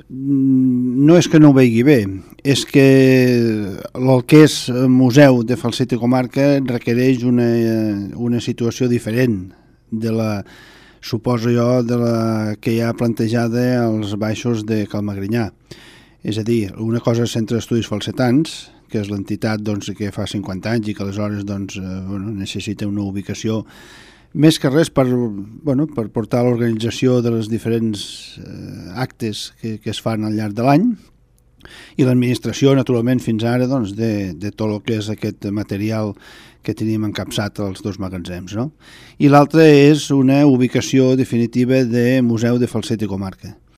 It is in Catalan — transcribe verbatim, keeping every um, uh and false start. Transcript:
No és que no ho vegi bé, és que el que és museu de Falset i comarca requereix una, una situació diferent de la, suposo jo, de la que hi ha plantejada als baixos de Calmagrinyà. És a dir, una cosa és Centre d'Estudis Falsetans, que és l'entitat doncs, que fa cinquanta anys i que aleshores doncs, eh, bueno, necessita una ubicació més que res per, bueno, per portar l'organització de les diferents eh, actes que, que es fan al llarg de l'any, i l'administració, naturalment, fins ara doncs, de, de tot el que és aquest material que tenim encapçat als dos magatzems. No? I l'altre és una ubicació definitiva de Museu de Falset i Comarca.